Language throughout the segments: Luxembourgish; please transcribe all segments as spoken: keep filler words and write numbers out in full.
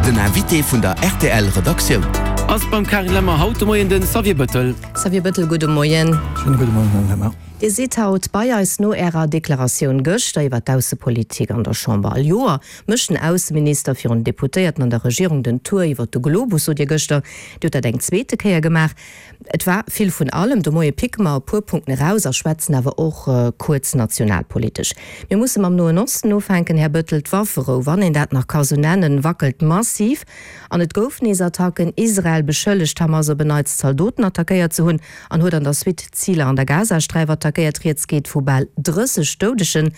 Den Invité vun der R T L Redaktioun. Ass beim Carine Lemmer haut de Moien den Xavier Bettel. Xavier Bettel, gudde Moien. Schéine gudde Moien, Madame Lemmer. Dir sidd haut bei eis no Ärer Deklaratioun gëschter iwwer d'Aussepolitik an der Chamber. All Joer mécht den Ausseminister virun den Deputéierten an der Regierung den Tour iwwer de Globus, sot Dir gëschter. Dir hutt dat eng zweete Kéier gemaach. Et war vill vun allem. De Moie picke mer e puer Punkten eraus a schwätzen awer och kuerz nationalpolitesch. Mir musse mam Noen Osten ufänken, Här Bettel. D'Wafferou, wann een dat nach ka sou nennen, wackelt massiv an et gouf nees Attacken. Israel beschëllegt Hamas op en Neits Zaldoten attackéiert ze hunn an huet an der Suite Ziler an der Gazasträif attackéiert. Rieds geet vu bal drësseg Doudegen.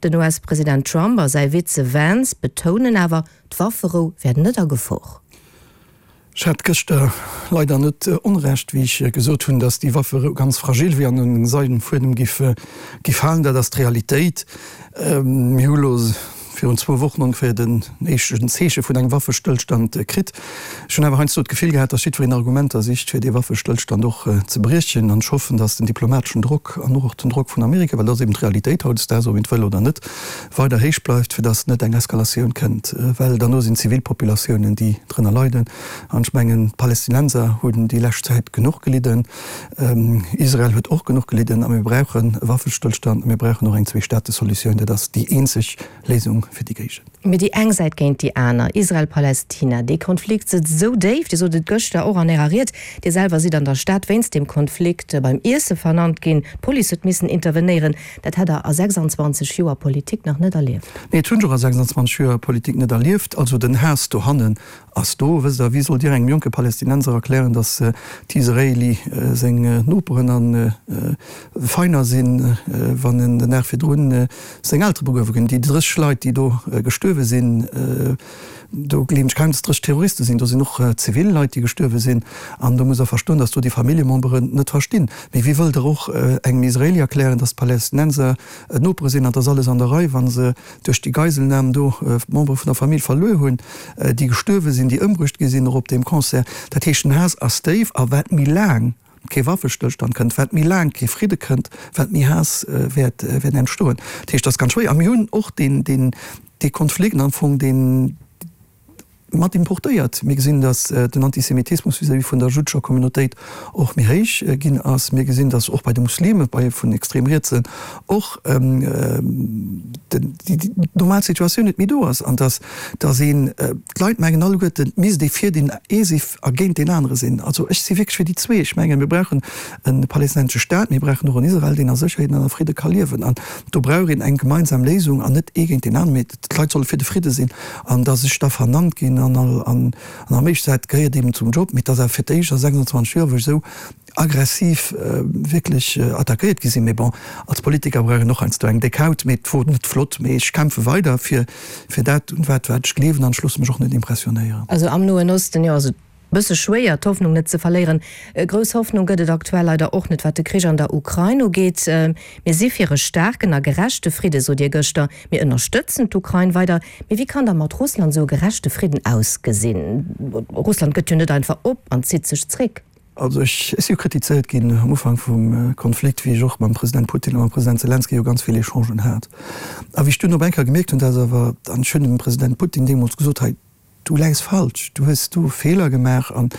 Den U S-President Trump a säi Vize Vance betounen awer, d'Wafferou wär net a Gefor. Ech hat gëschter leider net Onrecht, wéi ech gesot hunn, datt déi Wafferou ganz fragil wier an un seidene Fuedem giff giff halen. Dat ass d'Realitéit. Mir hu lo virun zwou Wochen ongeféier den éischten Zeeche vun engem Waffestëllstand kritt. Ech hunn awer heiansdo d'Gefill gehat, datt jiddwereen Argumenter sicht, fir dee Waffestëllstand och ze briechen. An ech hoffen, datt den diplomateschen Drock an och den Drock vun Amerika, well dat ass eben d'Realitéit hautdesdaags, ob een et wëll oder net, weider héich bleift, fir datt net eng Eskalatioun kënnt, well derno sinn d'Zivilpopulatiounen, déi drënner leiden. An ech mengen, d'Palästinenser hunn déi lescht Zäit genuch gelidden, Israel huet och genuch gelidden a mir brauchen e Waffestëllstand a mir brauchen och eng Zwee-Staate-Solutioun. Dat ass déi eenzeg Léisung fir déi Géigend. Mee déi eng Säit géint déi aner, Israel-Palästina, dee Konflikt sëtzt esou déif, Dir sot et gëschter och an Ärer Ried, Dir selwer sidd an der Stad wéinst deem Konflikt beim Iesse vernannt ginn, d'Police huet missen intervenéieren. Dat hätt Der a sechsanzwanzeg Joer Politik nach net erlieft. Nee, dat hunn ech och a sechsanzwanzeg Joer Politik net erlieft. Also den Haass dohannen ass do. Wësst Der, wéi sollt Dir engem jonke Palästinenser erklären, datt d'Israeli seng Noperen a Feiner sinn, wann en den Dag virdrun seng Eltere begruewe ginn? Déi drësseg Leit, déi do gestuerwe sinn, do gleewen ech kaum, datt drësseg Terroriste sinn. Do sinn och zivil Leit, déi gestuerwe sinn. An do muss Der verstoen, datt do déi Familljememberen net verstinn. Mee wéi wëllt Der och engem Israeli erklären, datt d'Palästinenser Nopere sinn an et ass alles an der Rei, wa se duerch déi Geiselnam do Membere vun der Famill verluer hunn, déi gestuerwe sinn, déi ëmbruecht gi sinn, och op deem Concert. Dat heescht, den Haass ass déif a wat méi laang kee Waffestëllstand kënnt, wat méi laang kee Fridde kënnt, wat méi Haass wäert wäert entstoen. Dat heescht, dat ass ganz schwéier. A mir hunn och deen, deen, dee Konflikt am Fong, deen mat importéiert. Mir gesinn, datt den Antisemitismus vis-à-vis vun der juddescher Communautéit och méi héich ginn ass. Mir gesinn, datt och bei de Muslime, bei vun extrem Rietsen och déi normal Situatioun net méi do ass an datt datt een, d'Leit mengen alleguerten, et misst ee fir deen ee si a géint deen anere sinn. Also ech si wierklech fir déi zwee. Ech mengen, mir brauchen e palästinensesche Staat, mir brauchen och en Israel, deen a Sécherheet an a Fridde ka liewen. An do brauch een eng gemeinsam Léisung an net ee géint deen aneren, mee d'Leit solle fir de Fridde sinn. An datt ech da vernannt ginn an all an an am éischt dat gehéiert eben zum Job, mee et ass awer fir d'éischt a sechsundzwanzeg Joer, wou ech esou aggressiv wierklech attackéiert gi sinn. Mee bon, als Politiker brauch een och heiansdo eng déck Haut. Mee et wor net flott, mee ech kämpfe weider fir fir dat, un wat wat ech gleewen an ech loosse mech och net impressionéieren. Also am Noen Osten, jo, ass et bësse schwéier d'Hoffnung net ze verléieren. Grouss Hoffnung gëtt et aktuell leider och net, wat de Krich an der Ukrain ugeet. Mir si fir e staarken a gerechte Fridde, sot Dir gëschter. Mir ënnerstëtzen d'Ukrain weider. Mee wéi kann da mat Russland esou e gerechte Fridden ausgesinn? Russland gëtt jo net einfach op an zitt sech zréck. Also ech si jo kritizéiert ginn am Ufank vum Konflikt, wéi ech och mam President Putin a mam President Selenskyj jo ganz vill Echangen hat. A wéi ech dunn op eng Kéier gemierkt hunn, dass awer, an ech hunn dem President Putin deemools gesot, hei, du läis falsch, du hues do Feeler gemaach an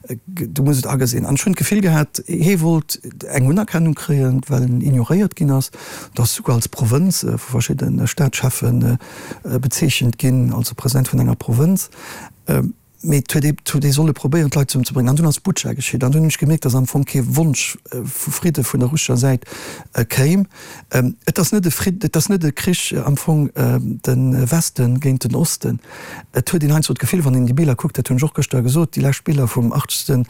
du muss et agesinn. An ech hunn d'Gefill gehat, hie wollt eng Unerkennung kréien, well en ignoréiert ginn ass, et ass souguer als Provënz vu verschidde Staatscheffe bezeechent ginn, also President vun enger Provënz. Mee et huet ee, et huet ee solle probéieren, d'Leit zesummen ze bréngen. An dunn ass Butscha geschitt. An dunn hunn ech gemierkt, datt am Fong kee Wonsch vu Fridde vun der russescher Säit kéim. Et ass net e Fridd, et ass net e Krich am Fong de Weste géint den Osten. Et huet een heiansdo d'Gefill, wann een déi Biller kuckt, dat hunn ech och gëschter gesot, déi lescht Biller vum achtzegste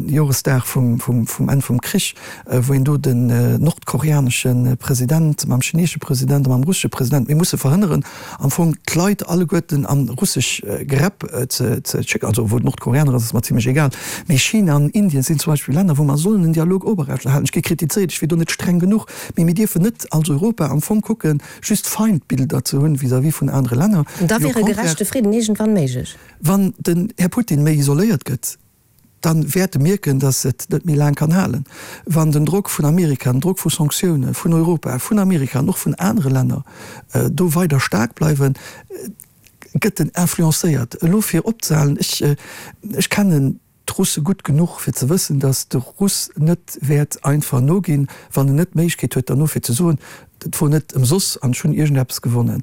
Joresdag vum, vum, vum Enn vum Krich, wou een do den nordkoreanesche President mam chineesesche President a mam russesche President, mir musse verhënneren am Fong d'Leit alleguerten an russesch Gräpp ze, ze schécken, also wou d'Nordkoreaner ass, ass mer zimlech egal, mee China an Indien sinn zum Beispill Länner, wou mer sollen en Dialog oprechterhalen. Ech gi kritizéiert, ech wier do net streng genuch, mee mir dierfen net als Europa am Fong kucken, just Feindbilder ze hunn vis-à-vis vun anere Länner. An da Mee au wier e contraire, gerechte Fridden iergendwann méiglech. Wann den Här Putin méi isoléiert gëtt, da wäert e mierken, datt et net méi laang kann halen. Wann den Drock vun Amerika, den Drock vu Sanktioune vun Europa, vun Amerika an och vun anere Länner do weider staark bleiwen, gëtt en influencéiert. Elo fir opzehalen, ech, ech kennen d'Russe gutt genuch fir ze wëssen, datt de Russ net wäert einfach noginn, wann en net d'Méiglechkeet huet derno fir ze soen, dat wor net ëmsoss an ech hunn iergendeppes gewonnen.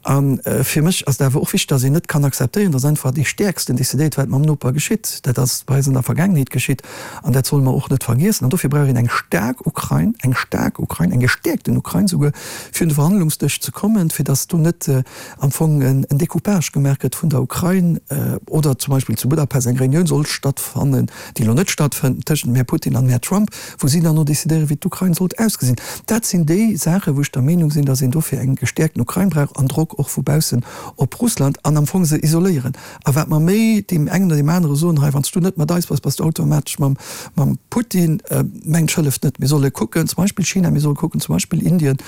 A fir mech ass et awer och wichteg, datt een net kann akzeptéieren, datt einfach dee Stäerksten decidéiert, wat mam Noper geschitt. Dat ass bei eis an der Vergaangenheet geschitt an dat solle mer och net vergiessen. An dofir brauch een eng staark Ukrain, eng staark Ukrain, eng gestäerkten Ukrain souguer, fir un de Verhandlungsdësch ze kommen, fir datt do net am Fong en Decoupage gemaach gëtt vun der Ukrain oder zum Beispill zu Budapest eng Reunioun soll stattfannen, déi elo net stattfënnt, tëschent dem Här Putin an dem Här Trump, wou si dann no decidéieren, wéi d'Ukrain sollt ausgesinn. Dat sinn déi Saachen, wou ech der Meenung sinn, datt een dofir eng gestäerkten Ukrain brauch an Drock och vu baussen op Russland an am Fong se isoléieren. A wat mer méi deem engen oder deem anere soen, hei, wann s du net mat eis bass, bass du automatesch mam mam Putin, mengt ech, hëlleft net. Mir solle kucken, zum Beispill China, mir solle kucken, zum Beispill Indien,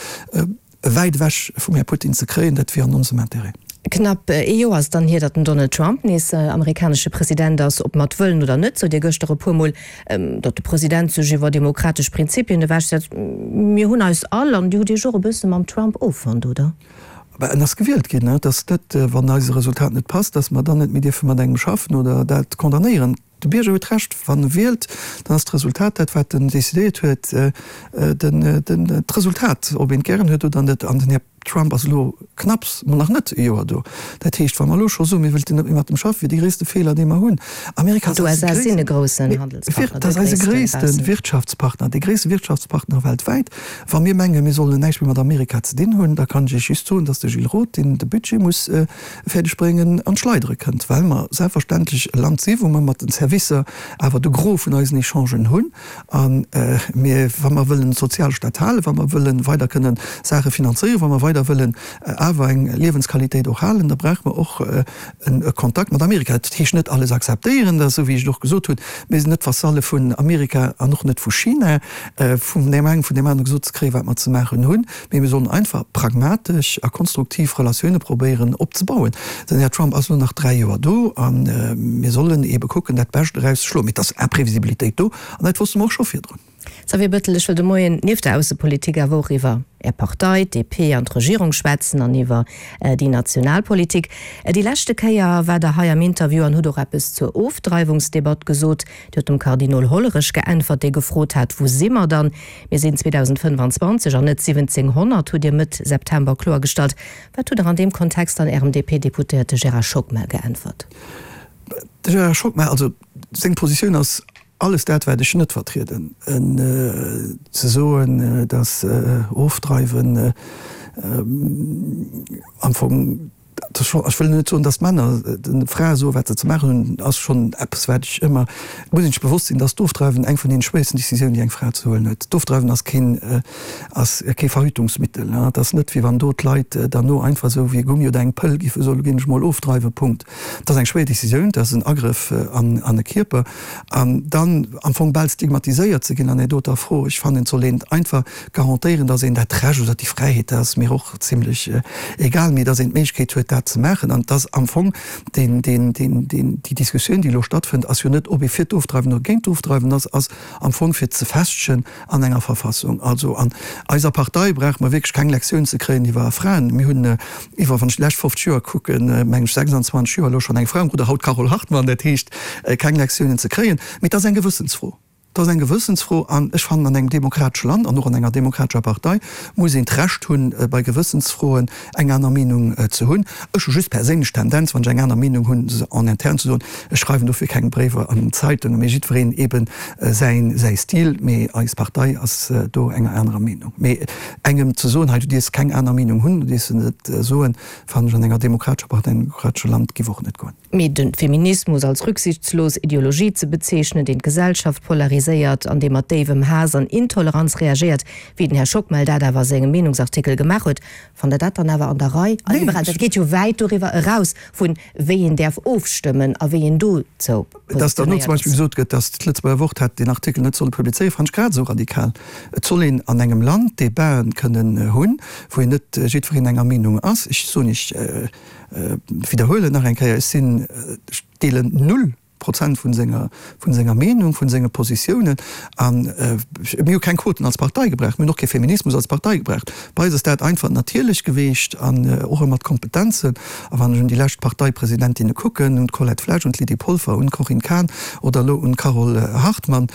wäit ewech vum Här Putin ze kréien, dat wier an onsem Intérêt. Knapp ee Joer ass dann hier, datt den Donald Trump nees amerikanesche President ass. Ob mat Wëllen oder net, sot Dir gëschter e puer Mol, datt de President sech iwwer demokratesch Prinzipien ewechsetzt. Mir hunn eis all, an Dir hutt Iech och e bësse mam Trump offonnt, oder? Bah, en ass gewielt ginn. Et ass net, wann eis e Resultat net passt, datt mer dann net méi dierfe mat engem schaffen oder dat condamnéieren. De Bierger huet Recht, wann e wielt, dann ass d'Resultat dat, wat en decidéiert huet, d'Resultat, ob een et gären huet oder net. An den Här Trump ass elo knapps, ma nach net e Joer do. Dat heescht, wa mer elo scho soen, mir wëllten net méi mat em schaffen, wier dee gréisste Feeler, dee mer hunn. Amerika ass eise gréissten, dat ass eise gréisste Wirtschaftspartner, dee gréisste Wirtschaftspartner weltwäit. Wa mir mengen, mir sollen näischt méi mat Amerika ze dinn hunn, da kann ech Iech just soen, datt de Gilles Roth, deen de Budget muss fäerdeg bréngen, an d'Schleidere kënnt, well mer selbstverständlech e Land si wou mer mat den Servicer awer de Gros vun eisen Echangen hunn. A mir, wa mer wëllen Sozialstaat halen, wa mer wëlle weider kënnen Saache finanzéieren, wa mer weider wëllen awer eng Liewensqualitéit och halen, da brauche mer och e Kontakt mat Amerika. Dat heescht net alles akzeptéieren, dat ass esou wéi ech et och gesot hunn, mir sinn net Vassalle vun Amerika an och net vu China, vun deem engem, vun deem anere gesot ze kréien, wat mer ze maachen hunn, mee mir sollen einfach pragmatesch a konstruktiv Relatioune probéieren opzebauen. Den Här Trump ass elo nach dräi Joer do a mir sollen eebe kucken, dat Bescht erauszeschloen. Mee et ass Imprevisibilitéit do an dat wosste mer och scho virdrun. Xavier Bettel, Ech wëll de Moien nieft der Aussepolitik awer och iwwer Är Partei, d'DP, an d'Regierung schwätzen an iwwer déi national Politik. Déi leschte Kéier war Der hei am Interview an hutt och eppes zur Ofdreiwungsdebatt gesot. Dir hutt dem Kardinol Hollerich geäntwert, dee gefrot hat, Wou si mer dann? Mir sinn zweedausendfënnefanzwanzeg an net siwwenzénghonnert, hutt Dir Mëtt September kloergestallt. Wat hutt Der an deem Kontext dann Ärem D P-Deputéierte Gérard Schockmel geäntwert? De Gérard Schockmel, also seng Positioun ass alles dat, wat ech net vertrieden. Ze soen, datt Ofdreiwen am Fong, ech wëll net soen, datt d'Männer de Frae soen, wat se ze maachen hunn, ass schonn eppes, wat ech ëmmer, et muss een sech bewosst sinn, datt d'Ofdreiwen eng vun deene schwéiersten Decisiounen, déi eng Fra ze huelen huet. D'Ofdreiwen ass keen, ass kee Verhütungsmittel. Et ass net, wéi wann do d'Leit derno einfach esou wéi e Gummi oder eng Pëll géife soen, elo ginn ech mol ofdreiwen, Punkt. Dat ass eng schwéier Decisioun, dat ass en Agrëff an e Kierper. An dann am Fong bal stigmatiséiert ze ginn an där doter Fro, ech fannen, et soll een einfach garantéieren, datt een dat Recht oder déi Fräiheet, dat ass mir och zimlech egal, mee datt een d'Méiglechkeet huet, dat ze maachen. An et ass am Fong deen, deen, deen, deen, déi Diskussioun, déi elo stattfënnt, ass jo net, ob ee fir d'Ofdreiwen oder géint d'Ofdreiwen ass, ass am Fong fir ze festegen an enger Verfassung. Also an eiser Partei brauche mer wierklech keng Lektioun ze kréien iwwer Fraen. Mir hunn iwwer, wann ech déi lescht fofzeg Joer kucken, mengen ech sechsandzwanzeg Joer elo schonn eng Fra um Rudder, haut d'Carole Hartmann, dat heescht keng Lektiounen ze kréien. Mee et ass eng Gewëssensfro. Et ass eng Gewëssensfro an ech fannen, an engem demokratesche Land an och an enger demokratescher Partei muss een d'Recht hunn, bei Gewëssensfroen eng aner Meenung ze hunn. Ech hu just perséinlech d'Tendenz, wann ech eng aner Meenung hunn, se en interne ze soen. Ech schreiwen dofir keng Bréiwer an d'Zeitungen, mee jiddwereen eeben säin säi Stil. Mee eis Partei ass do enger anerer Meenung. Mee engem ze soen, hei du dierfs keng aner Meenung hunn, du dierfs se net soen, fannen ech an enger demokratescher Partei, an engem demokratesche Land giff och net goen. Mee de Feminismus als rücksichtslos Ideologie ze bezeechnen, deen d'Gesellschaft polariséiert an dee mat déiwem Haass an Intoleranz reagéiert, wéi den Här Schockmel dat awer a sengem Meenungsartikel gemaach huet, fannt Der dat dann awer an der Rei? A liberal, dat geet jo wäit doriwwer eraus, vun wéi een däerf ofstëmmen a wéi een dozou Dass dann elo positionéiert zum Beispill ass. gesot gëtt, dass d'Lëtzebuerger Wort hätt deen Artikel net solle publizéieren, fannen ech grad esou radikal. Et soll een an engem Land Debaten kënnen hunn, wou een net jiddwereen enger Meenung ass. Ech soen, ech widderhuelen nach eng Kéier, ech sinn, ech deelen null Prozent vun senger, vun senger Meenung, vun senge Positiounen. An mir hu keng Quoten als Partei gebraucht, mir hunn och kee Feminismus als Partei gebraucht. Bei eis ass dat einfach natierlech geweecht an och ëmmer d'Kompetenzen. A wann ech un déi lescht Parteipresidentinne kucken, un d'Colette Flesch, un d'Lydie Polfer, un d'Corinne Cahen oder elo un d'Carole Hartmann,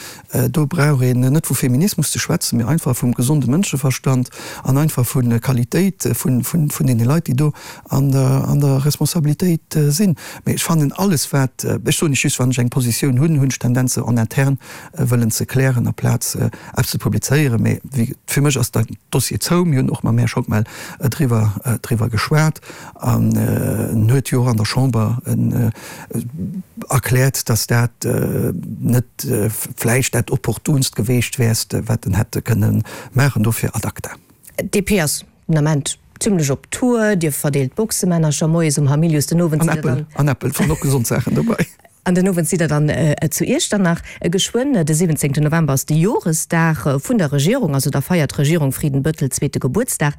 do brauch een net vu Feminismus ze schwätzen, mee einfach vum gesonde Mënscheverstand an einfach vu Qualitéit vun deene Leit, déi do an der Responsabilitéit sinn. Mee ech fannen alles wat, ech soen lech just, wann ech eng Positioun hunn, hunn ech d'Tendenz se en interne wëllen ze klären aplaz eppes ze publizéieren. Mee wéi, fir mech ass den Dossier zou. Mir hunn och mam Här Schockmel driwwer driwwer geschwat an en huet jo och an der Chamber erkläert, datt dat net vläicht dat opportunst geweecht wärst, wat en hätte kënne maachen. Dofir ad acta. D P ass den Ament zimlech op Tour, Dir verdeelt Boxemännercher moies um Hamilius, den Owend sidd der dann. An Äppel, an Äppel, waren och gesond Saachen dobäi. An den Owend sidd der dann zu Iechternach. Geschwënn, de siwwenzéngten November ass de Joresdag vun der Regierung, also da feiert d'Regierung Frieden-Bëttel zweete Gebuertsdag.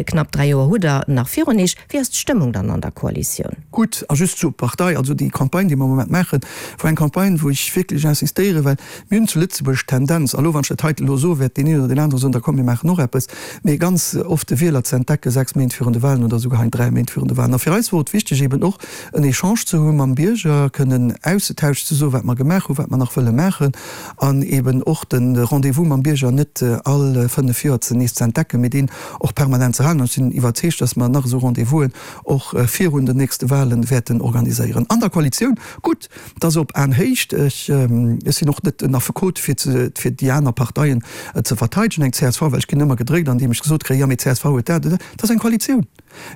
Knapp dräi Joer hutt der nach virun Iech. Wéi ass d'Stëmmung dann an der Koalitioun? Gutt, a just zur Partei, also déi Campagne, déi mer am Moment maachen, wor eng Campagne, wou ech wierklech insistéieren, well mir hunn zu Lëtzebuerg d'Tendenz, a lo wann ech dat heite elo soe wäert deen een oder deen anere soen, da komm mir maachen och eppes, mee ganz oft de Wieler ze entdecken sechs Méint virun de Wahlen oder esouguer hei dräi Méint virun de Wahlen. A fir eis wor et wichteg eben och en Echange ze hu mam Bierger, kënnen auszetauschen, ze soen, wat mer gemaach hunn, wat mer nach wëlle maachen an eben och de Rendez-vous mam Bierger net all fënnef Joer ze nees ze entdecken, mee deen och permanent ze halen. An ech sinn iwwerzeegt, dass mer nach esou Rendez-vousen och virun den nächste Wahlen wäerten organiséieren. An der Koalitioun, gutt, et ass op Aenhéicht. Ech sinn och net en Affekot, fir fir déi aner Parteien ze verteidegen, eng C S V, well ech ginn ëmmer gedréckt, andeem ech gesot kréien, jo, mee d'C S V huet dat oder dat. Et ass eng Koalitioun.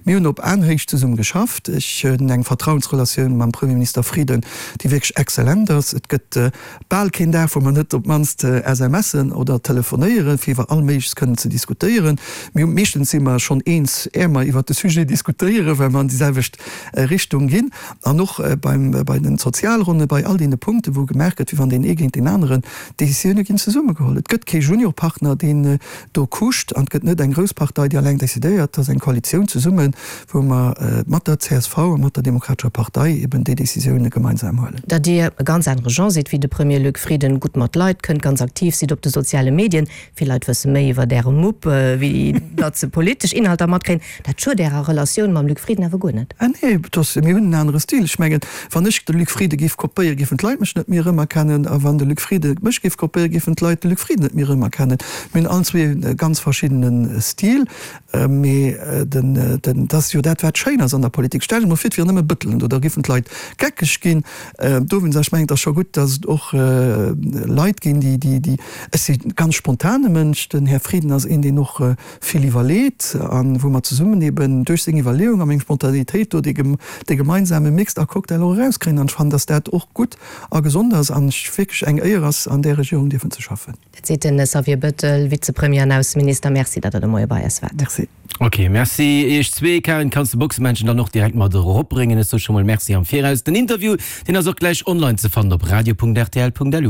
Mir hunn op Aenhéicht zesumme geschafft. Ech hunn eng Vertrauensrelatioun mam Premierminister Frieden, déi wierklech exzellent ass. Et gëtt bal keen Dag, wou mer net op d'mannst S M Sen oder telefonéieren, fir iwwer all Méigleches kënnen ze diskutéieren. Mir hu meeschtens si mer schonn eens, är mer iwwert de Sujet diskutéieren, well mer an déi selwecht Richtung ginn. An och beim, bei den Sozialronnen, bei all deene Punkten, wou gemaach gëtt, wéi wann deen ee géint deen aneren, d'Décisioune ginn zesummegeholl. Et gëtt kee Juniorpartner, deen do kuscht, an et gëtt net eng grouss Partei, déi alleng decidéiert. Et ass eng Koalitioun zesummen, wou mer mat der C S V a mat der Demokratescher Partei eben déi Décisioune gemeinsam huelen. Datt Dir e ganz anere Genre sidd wéi de Premier Luc Frieden, gutt mat Leit kënnt, ganz aktiv sidd op de soziale Medien, vill Leit wësse méi iwwer Äre Mupp, wéi datt se politesch Inhalter matkréien, dat schued Ärer Relatioun mam Luc Frieden awer guer net? Ah nee, et ass, mir hunn en anere Stil. Ech mengen, wann ech de Luc Frieden géif kopéieren, géifen d'Leit mech net méi erëmerkennen, a wann de Luc Frieden mech géif kopéieren, géifen d'Leit de Luc Frieden net méi erëmerkennen. Mir hunn allen zwee e ganz verschiddene Stil, mee den, den, dat ass jo dat, wat schéin ass an der Politik. Stell dech emol vir, et wier nëmme Bëttelen do, da géifen d'Leit geckeg ginn. Dowéinst, ech mengen, et ass scho gutt, datt et och Leit ginn, déi, déi, déi, ech si ganz spontane Mënsch, den Här Frieden ass een, deen och vill iwwerleet a wou mer zesummen eben duerch seng Iwwerleeung a meng Spontanitéit do dee, dee gemeinsame Mix a Cocktail och erauskréien. An ech fannen, datt dat och gutt a gesond ass an ech wierklech eng Éier ass, an där Regierung dierfen ze schaffen. Dat seet de Xavier Bettel, Vizepremier an Ausseminister. Merci, datt Der de Moie bei eis waart. Merci. Ok, merci iech zwee. Karin, kanns de Boxemännchen dann och direkt mat eropbréngen? Ech soe scho mol Merci am Viraus. Den Interview, deen ass och gläich online ze fannen op radio punkt rtl punkt lu.